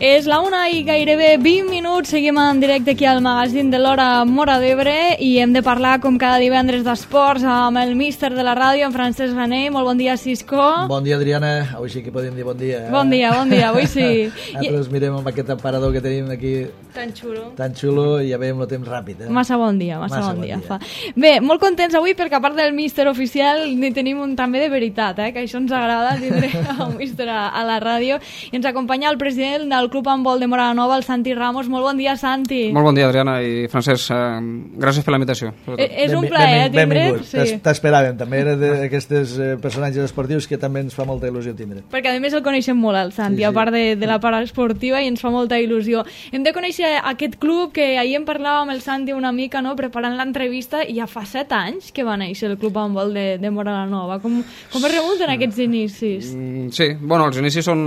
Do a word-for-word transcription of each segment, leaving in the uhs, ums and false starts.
És la una i gairebé vint minuts, seguim en directe aquí al magazín de l'Hora Móra d'Ebre i hem de parlar com cada divendres d'esports amb el míster de la ràdio, en Francesc Granell. Molt bon dia, Cisco. Bon dia, Adriana. Avui sí que podem dir bon dia. Eh? Bon dia, bon dia, avui sí. Nosaltres mirem amb aquest aparador que tenim aquí tan xulo, tan xulo i ja veiem el temps ràpid. Eh? Massa bon dia, massa, massa bon, bon dia. dia. Fa. Bé, molt contents avui perquè a part del míster oficial ni tenim un també de veritat, eh? Que això ens agrada tindre un míster a, a la ràdio. I ens acompanya el president del Club Handbol de Móra la Nova, el Santi Ramos. Molt bon dia, Santi. Molt bon dia, Adriana i Francesc. Eh, gràcies per la invitació. Eh, és un plaer, ben, ben, tindre. Sí. T'esperàvem. També era d'aquests eh, personatges esportius que també ens fa molta il·lusió tindre. Perquè a més el coneixem molt, el Santi, sí, sí. A part de, de la part esportiva, i ens fa molta il·lusió. Hem de conèixer aquest club que ahir en parlàvem amb el Santi una mica, no?, preparant l'entrevista, i ja fa set anys que va néixer el Club Handbol de, de Móra la Nova. Com, com es remunten aquests inicis? Mm, sí, bueno, els inicis són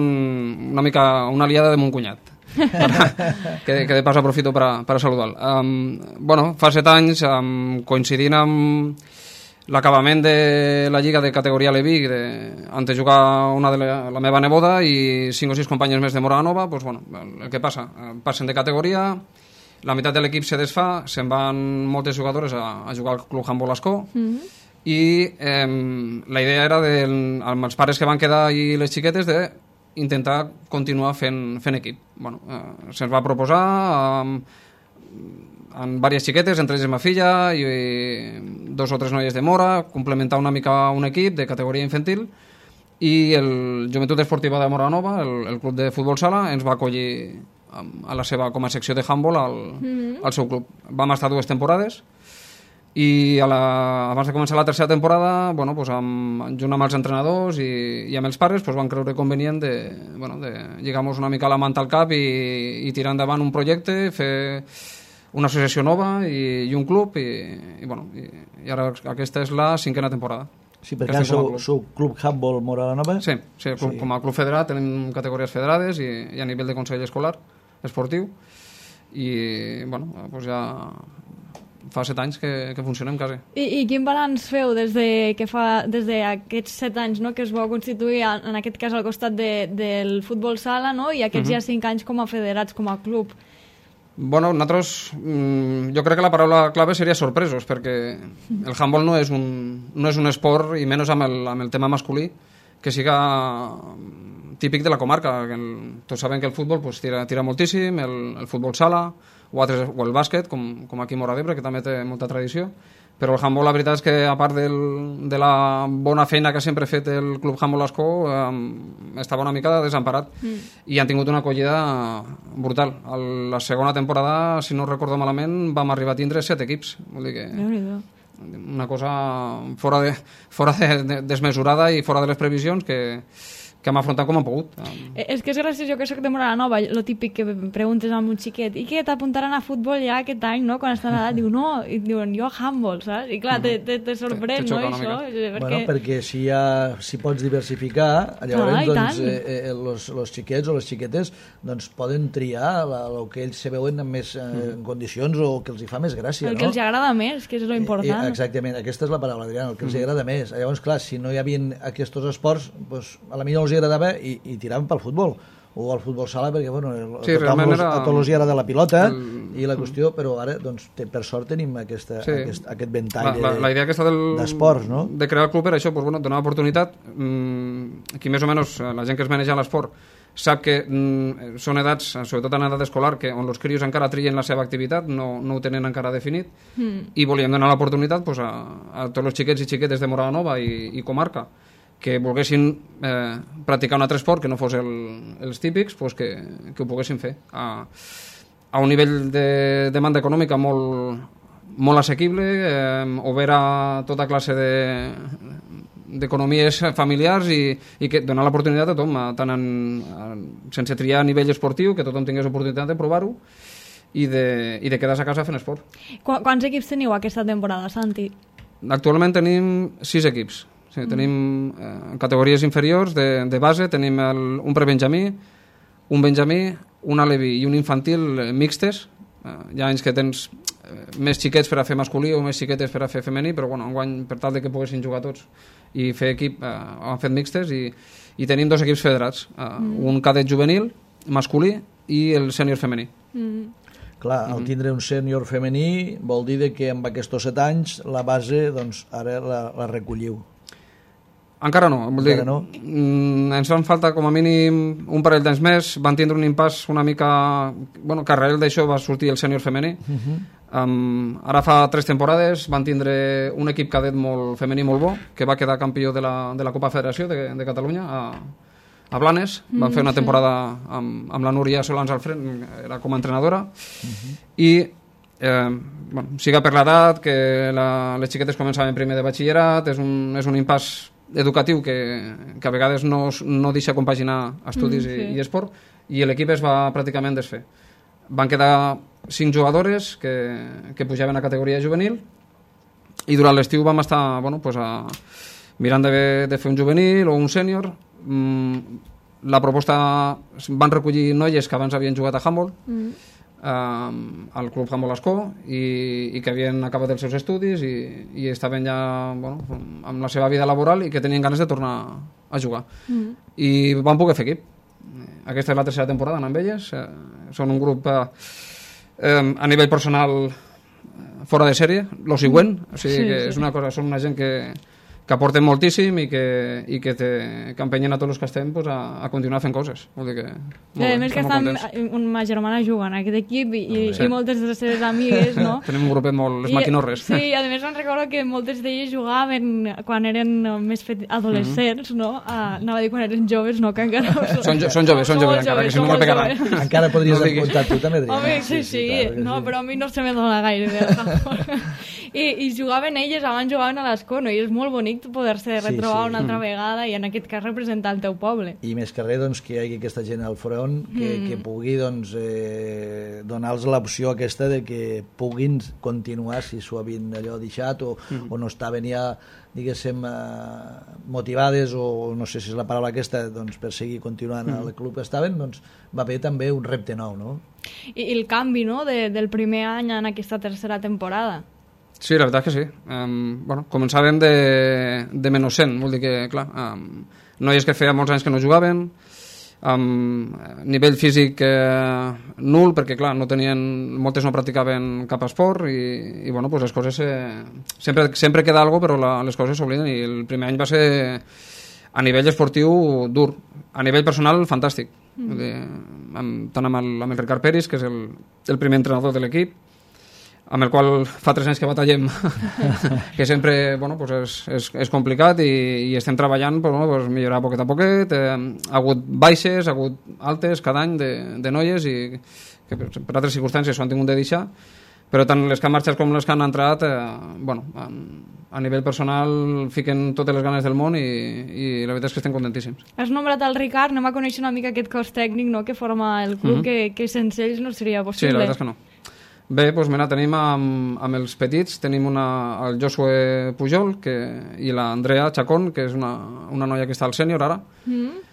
una mica una aliada de mon cunyat. que, que de pas aprofito per a, per a saludar-lo. Um, bueno, fa set anys, um, coincidint amb l'acabament de la Lliga de categoria Levic, de, antes de jugar una de la, la meva neboda i cinc o sis companyes més de Móra la Nova, pues, bueno, el que passa, passen de categoria, la meitat de l'equip se desfà, se'n van moltes jugadores a, a jugar al Club Handbol Ascó, mm-hmm. i eh, la idea era de, amb els pares que van quedar i les xiquetes de intentar continuar fent, fent equip. Bueno, eh, se'ns va proposar amb, amb diverses xiquetes, entre ells ma filla i, i dos o tres noies de Móra, complementar una mica un equip de categoria infantil, i el Joventut Esportiva de Móra la Nova, el, el club de futbol sala, ens va acollir a la seva, com a secció de handball al, mm-hmm. al seu club. Vam estar dues temporades i a la, abans de començar la tercera temporada, bueno, pues amb, junt amb els entrenadors i, i amb els pares, pues van creure convenient de, bueno, de lligar-nos una mica la manta al cap i, i tirar endavant un projecte, fer una associació nova i, i un club i, i, bueno, i, i ara aquesta és la cinquena temporada. Sí, perquè sou, sou Club Handbol Móra la Nova? Sí, sí, club, sí, com a club federat tenim categories federades i, i a nivell de consell escolar esportiu i bueno, pues ja fa set anys que, que funcionem quasi. I, i quin balanç feu des de que fa des d'aquests set anys, no?, que es vau constituir en aquest cas al costat de, del futbol sala, no?, i aquests uh-huh. ja cinc anys com a federats, com a club? Bueno, nosaltres, jo crec que la paraula clave seria sorpresos, perquè el handball no és un, no és un esport, i menys amb el, amb el tema masculí, que siga típic de la comarca. El, tots sabem que el futbol pues, tira, tira moltíssim, el, el futbol sala, o, altres, o el bàsquet, com, com aquí a Móra d'Ebre, que també té molta tradició. Però el handball, la veritat és que, a part del, de la bona feina que sempre ha fet el Club Handbol Ascó, eh, estava una mica desemparat. Mm. I han tingut una acollida brutal. A la segona temporada, si no recordo malament, vam arribar a tindre set equips. Vol dir que una cosa fora, de, fora de, de, desmesurada i fora de les previsions que... que hem afrontat com hem pogut. És que és gràcies, jo que soc de Móra la Nova, lo típic que preguntes a un xiquet, i què, t'apuntaran a futbol ja aquest any, no?, quan estan a l'edat, diu, no, i diuen, jo a handball, saps? I clar, te, te, te sorprèn, no, això? Perquè... Bueno, perquè si, ha, si pots diversificar, llavors, ah, doncs, eh, eh, los, los xiquets o les xiquetes, doncs, poden triar el que ells se veuen en més eh, en condicions o que els hi fa més gràcia, el no? que els agrada més, que és lo important. Eh, exactament, aquesta és la paraula, Adriana, el que els mm. agrada més. Llavors, clar, si no hi havia aquests esports, doncs, a la millor els agradava i, i tiraven pel futbol o al futbol sala, perquè bueno, sí, a, tothom, era... a tots els hi agrada la pilota el... i la qüestió, però ara doncs, per sort tenim aquesta, sí. aquest, aquest ventall la, la, la idea aquesta del... d'esports, no? De crear el club per això, pues, bueno, donar oportunitat. Mm, aquí més o menys la gent que es maneja l'esport sap que mm, són edats, sobretot en edat escolar, que on els crios encara trien la seva activitat, no, no ho tenen encara definit, mm. i volíem donar l'oportunitat pues, a, a tots els xiquets i xiquetes de Móra la Nova i, i comarca que volguessin eh, practicar un altre esport que no fos el, els típics, pues que, que ho poguessin fer a, a un nivell de demanda econòmica molt, molt assequible, eh, obert a tota classe de d'economies familiars i, i que donar l'oportunitat a tothom, tant en, en, sense triar a nivell esportiu, que tothom tingués oportunitat de provar-ho i de, i de quedar-se a casa fent esport. Qu Quants equips teniu aquesta temporada, Santi? Actualment tenim sis equips. Sí, mm. Tenim eh, categories inferiors de, de base, tenim el, un prebenjamí, un benjamí, un alevi i un infantil mixtes. Eh, hi ha anys que tens eh, més xiquets per a fer masculí o més xiquetes per a fer femení, però bueno, enguany, per tal de que poguessin jugar tots i fer equip, eh, han fet mixtes i, i tenim dos equips federats, eh, mm. un cadet juvenil masculí i el sènior femení. Mm. Clar, al tindre un sènior femení vol dir que amb aquests set anys la base, doncs, ara la, la recolliu. Encara no. Vol dir, Encara no? Ens fan falta com a mínim un parell d'anys més. Van tindre un impàs una mica... Bueno, que arrel d'això va sortir el sènior femení. Uh -huh. um, ara fa tres temporades van tindre un equip cadet molt femení molt bo, que va quedar campió de la, de la Copa Federació de, de Catalunya a, a Blanes. Van mm, fer una sí. temporada amb, amb la Núria Solans al front, era com a entrenadora. Uh -huh. I eh, bueno, siga per l'edat, que la, les xiquetes començaven primer de batxillerat, és un, és un impàs educatiu que, que a vegades no, no deixa compaginar estudis mm, sí. i, i esport, i l'equip es va pràcticament desfer. Van quedar cinc jugadores que, que pujaven a categoria juvenil, i durant l'estiu vam estar bueno, pues a, mirant de, de fer un juvenil o un sènior. Mm, la proposta, van recollir noies que abans havien jugat a handball, mm. eh, al Club Handball Ascó, i, i que havien acabat els seus estudis i, i estaven ja bueno, amb la seva vida laboral i que tenien ganes de tornar a jugar. Mm. I van poder fer equip. Aquesta és la tercera temporada amb elles. Eh, són un grup eh, eh, a nivell personal fora de sèrie, lo següent, o sigui sí, que sí. és una cosa, són una gent que que aporten moltíssim i que, i que, te, que empenyen a tots els que estem pues, a, a continuar fent coses. Vol dir que, I a més que estan, ma germana juga en aquest equip i, sí. i moltes de les seves amigues, no? Tenim un grupet molt... les I, maquinorres. Sí, i a més em recordo que moltes d'elles jugaven quan eren més fet, adolescents, mm -hmm. no? A, anava a dir quan eren joves, no? Que encara no són. Són, jo, són joves, són joves, encara, que si no me pegaran. Encara podries no apuntar tu, també, Adrià. Home, sí, sí, sí, sí no, sí. Però a mi no se me dona gaire. I, I jugaven elles, abans jugaven a l'Escó, no? I és molt bonic poder-se retrobar sí, sí. una altra vegada i en aquest cas representar el teu poble. I més que res doncs, que hi hagi aquesta gent al front que, mm. que pugui doncs, eh, donar-los l'opció aquesta de que puguin continuar si s'ho havien allò deixat o, mm. o no estaven ja diguéssim eh, motivades o no sé si és la paraula aquesta doncs, per seguir continuant mm. al club que estaven, doncs va haver també un repte nou, no? I, i el canvi no? de, del primer any en aquesta tercera temporada. Sí, la veritat és que sí. Um, bueno, començàvem de, de menys cent, vol dir que, clar, um, noies que feia molts anys que no jugaven, um, nivell físic eh, nul, perquè, clar, no tenien, moltes no practicaven cap esport i, i bueno, pues les coses... Eh, sempre, sempre queda alguna cosa, però la, les coses s'obliden i el primer any va ser, a nivell esportiu, dur. A nivell personal, fantàstic. Mm. Vull dir, amb, tant amb el, amb el Ricard Peris, que és el, el primer entrenador de l'equip, amb el qual fa tres anys que batallem, que sempre bueno, pues és, és, és complicat i, i estem treballant per bueno, pues millorar poquet a poquet. Eh, ha hagut baixes, ha hagut altes cada any de, de noies i que per, per altres circumstàncies s'ho han tingut de deixar, però tant les que han marxat com les que han entrat eh, bueno, a, a nivell personal fiquen totes les ganes del món i, i la veritat és que estem contentíssims. Has nombrat el Ricard, anem a conèixer una mica aquest cos tècnic no, que forma el club, mm-hmm. que, que sense ells no seria possible. Sí, la veritat és que no. Bé, doncs mira, tenim amb, amb els petits, tenim una, el Josué Pujol que, i l'Andrea Chacón, que és una, una noia que està al sènior ara. Mm.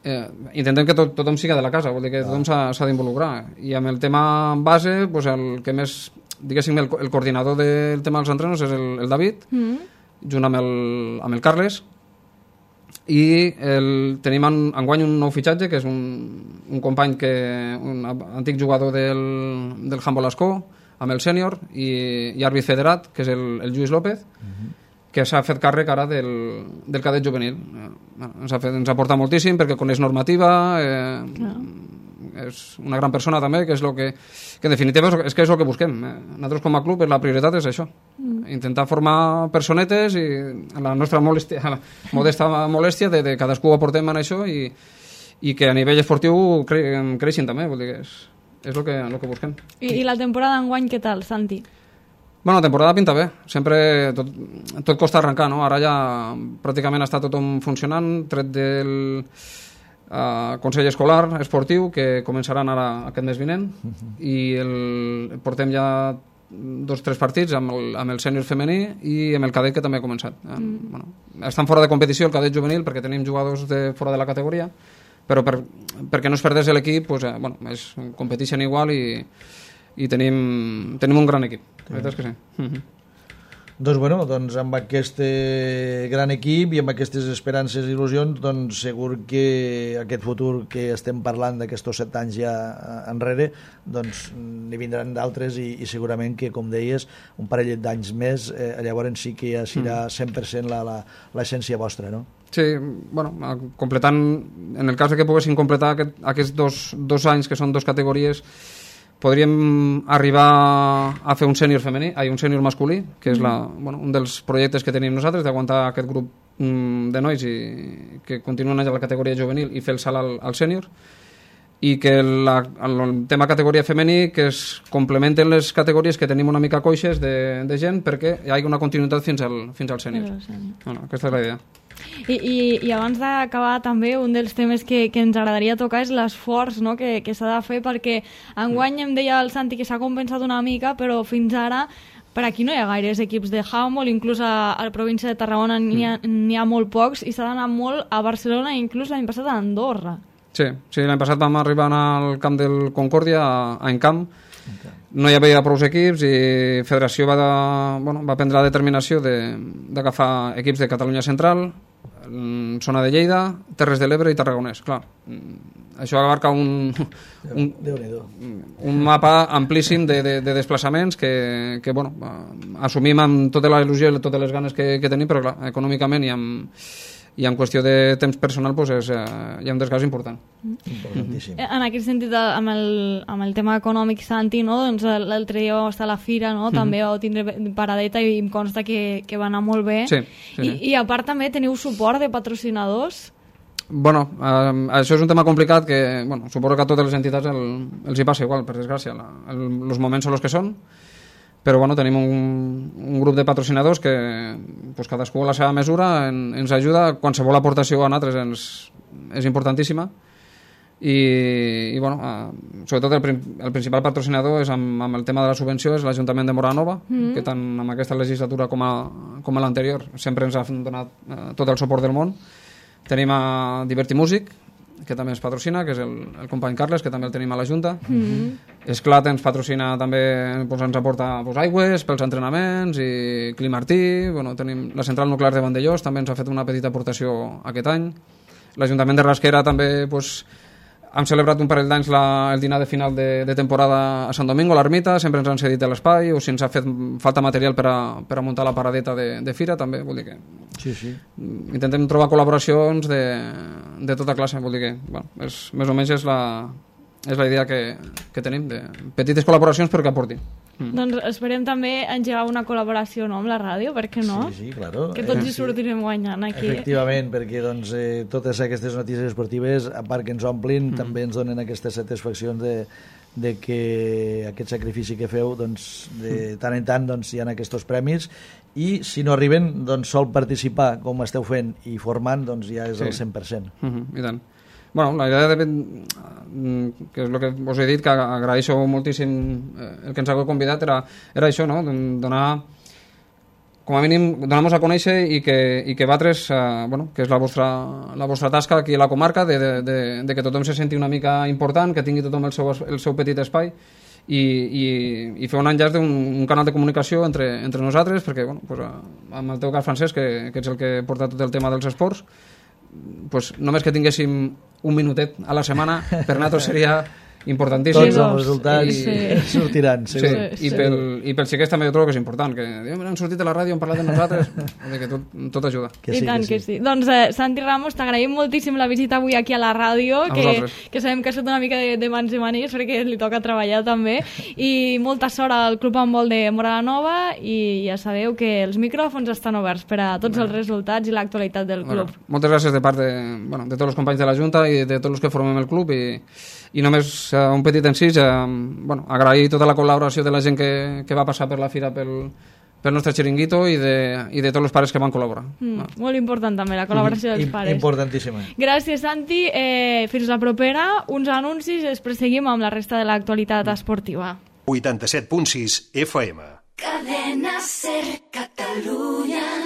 Eh, intentem que tot, tothom siga de la casa, vol dir que tothom s'ha d'involucrar. I amb el tema base, doncs el que més, diguéssim, el, el coordinador del tema dels entrenos és el, el David, mm. junt amb el, amb el Carles, i el, tenim en, enguany un nou fitxatge que és un, un company que un antic jugador del, del handball Ascó amb el sènior i, i àrbit federat que és el, el Lluís López uh-huh. que s'ha fet càrrec ara del, del cadet juvenil eh, ens, ha fet, ens aporta moltíssim perquè coneix normativa eh, no. És una gran persona també que és lo que, que en definitiva és, és que és el que busquem eh. Nosaltres com a club la prioritat és això mm. intentar formar personetes i la nostra molèstia, la modesta molèstia de, de cadascú aportem en això i, i que a nivell esportiu cre, creixin també, vol dir que és, és el que, el que busquem. I, I la temporada enguany què tal, Santi? Bueno, la temporada pinta bé, sempre tot, tot costa arrencar, no? Ara ja pràcticament està tothom funcionant, tret del Uh, Consell Escolar Esportiu que començaran ara aquest mes vinent uh-huh. i el, portem ja dos o tres partits amb el, amb el sènior femení i amb el cadet que també ha començat mm. bueno, estan fora de competició el cadet juvenil perquè tenim jugadors de fora de la categoria però per, perquè no es perdés l'equip pues, eh, bueno, es competeixen igual i, i tenim, tenim un gran equip la veritat és que sí uh-huh. Doncs, bueno, doncs amb aquest gran equip i amb aquestes esperances i il·lusions, doncs segur que aquest futur que estem parlant d'aquests set anys ja enrere, doncs n'hi vindran d'altres i, i segurament que, com deies, un parell d'anys més, eh, llavors sí que ja serà cent per cent la, la, l'essència vostra, no? Sí, bueno, completant, en el cas que poguessin completar aquest, aquests dos, dos anys, que són dos categories, podríem arribar a fer un sènior femení, ai, un sènior masculí, que és la, bueno, un dels projectes que tenim nosaltres, d'aguantar aquest grup mm, de nois i que continuen allà a la categoria juvenil i fer el salt al, al sènior, i que la, el tema categoria femení que es complementen les categories que tenim una mica coixes de, de gent perquè hi hagi una continuïtat fins al, fins al sènior. Bueno, aquesta és la idea. I, i, i abans d'acabar també un dels temes que, que ens agradaria tocar és l'esforç, no?, que, que s'ha de fer, perquè enguany em deia el Santi que s'ha compensat una mica, però fins ara per aquí no hi ha gaires equips de handball, inclús a, a la província de Tarragona n'hi ha, n'hi ha molt pocs i s'ha d'anar molt a Barcelona i inclús l'any passat a Andorra. Sí, sí, l'any passat vam arribar al camp del Concòrdia, a, a Encamp. No hi havia prou equips i Federació va, de, bueno, va prendre la determinació d'agafar equips de Catalunya Central, zona de Lleida, Terres de l'Ebre i Tarragonès. Clar, això abarca un, un, un mapa amplíssim de, de, de desplaçaments que, que bueno, assumim amb tota la il·lusió i totes les ganes que, que tenim, però clar, econòmicament i amb, i en qüestió de temps personal doncs és, eh, hi ha un desgast important. Importantíssim. En aquest sentit, amb el, amb el tema econòmic, Santi, no? Doncs l'altre dia va estar a la fira, no? També vau tindre paradeta i em consta que, que va anar molt bé. Sí, sí, I, sí. I a part també teniu suport de patrocinadors? Bueno, eh, això és un tema complicat que bueno, suposo que a totes les entitats el, els hi passa igual, per desgràcia. La, el, els moments són els que són, però bueno, tenim un, un grup de patrocinadors que pues, cadascú a la seva mesura en, ens ajuda. Qualsevol aportació a nosaltres ens, és importantíssima i, i bueno, eh, sobretot el, el principal patrocinador és amb, amb el tema de la subvenció és l'Ajuntament de Móra la Nova, mm. que tant amb aquesta legislatura com a, com a l'anterior sempre ens ha donat eh, tot el suport del món. Tenim a Divertimúsic, que també ens patrocina, que és el, el company Carles, que també el tenim a la Junta. Mm-hmm. Esclat ens patrocina també, doncs, ens aporta doncs, aigües pels entrenaments, i Climartí, bueno, tenim la central nuclear de Vandellós, també ens ha fet una petita aportació aquest any. L'Ajuntament de Rasquera també doncs, hem celebrat un parell d'anys el dinar de final de, de temporada a Sant Domingo, a l'Ermita, sempre ens han cedit l'espai, o si ens ha fet falta material per a, per a muntar la paradeta de, de fira, també, vol dir que sí, sí. intentem trobar col·laboracions de, de tota classe, vol dir que bueno, és, més o menys és la, és la idea que, que tenim, de petites col·laboracions però que aportin. Mm. Doncs esperem també engegar una col·laboració, no?, amb la ràdio, per què no? Sí, sí, claro. Que tots eh, hi sortirem guanyant aquí. Efectivament, perquè doncs, eh, totes aquestes notícies esportives, a part que ens omplin, mm. també ens donen aquestes satisfaccions de, de que aquest sacrifici que feu, doncs, de tant en tant doncs, hi ha aquests premis, i si no arriben, doncs, sol participar com esteu fent i formant, doncs ja és sí. el cent per cent. Mm-hmm, i tant. Bueno, la idea de, que és el que us he dit, que agraeixo moltíssim el que ens hagueu convidat, era, era això, no?, donar com a mínim, donar-nos a conèixer i que, i que vosaltres, eh, bueno, que és la vostra, la vostra tasca aquí a la comarca, de, de, de, de que tothom se senti una mica important, que tingui tothom el seu, el seu petit espai i, i, i fer un enllaç d'un un canal de comunicació entre, entre nosaltres, perquè, bueno, pues, amb el teu cas, Francesc, que, que ets el que porta tot el tema dels esports, pues, només que tinguéssim un minutet a la setmana per nosaltres seria importantíssim. Tots els resultats sí. sortiran, segur. Sí, sí. I, pel, i pel xiquets també jo trobo que és important, que diuen, han sortit a la ràdio, han parlat de nosaltres, que tot, tot ajuda. Que sí, I tant que sí. que sí. Doncs eh, Santi Ramos, t'agraïm moltíssim la visita avui aquí a la ràdio, a que, que sabem que ha estat una mica de, de mans i manies perquè li toca treballar també, i molta sort al Club Handbol de Móra la Nova, i ja sabeu que els micròfons estan oberts per a tots els resultats i l'actualitat del club. Bueno, moltes gràcies de part de, bueno, de tots els companys de la Junta i de tots els que formem el club, i, i només uh, un petit encís, uh, bueno, agrair tota la col·laboració de la gent que, que va passar per la fira pel, pel nostre xiringuito i de, i de tots els pares que van col·laborar. Mm, ah. Molt important també la col·laboració mm. dels pares. Importantíssima. Gràcies, Santi. Eh, fins la propera. Uns anuncis i després seguim amb la resta de l'actualitat esportiva. vuitanta-set punt sis F M. Cadena Ser Catalunya.